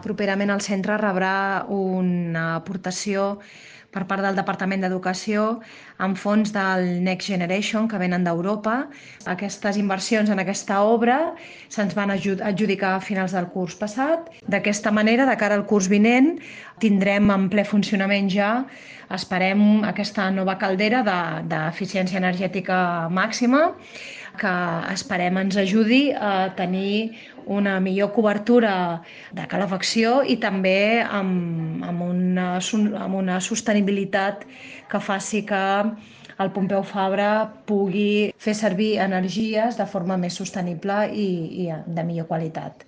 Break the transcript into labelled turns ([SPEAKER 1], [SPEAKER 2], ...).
[SPEAKER 1] Properament el centre rebrà una aportació per part del Departament d'Educació amb fons del Next Generation que venen d'Europa. Aquestes inversions en aquesta obra se'ns van adjudicar a finals del curs passat. D'aquesta manera, de cara al curs vinent, tindrem en ple funcionament ja, esperem, aquesta nova caldera d'eficiència energètica màxima que esperem ens ajudi a tenir una millor cobertura de calefacció i també amb una sostenibilitat que faci que el Pompeu Fabra pugui fer servir energies de forma més sostenible i de millor qualitat.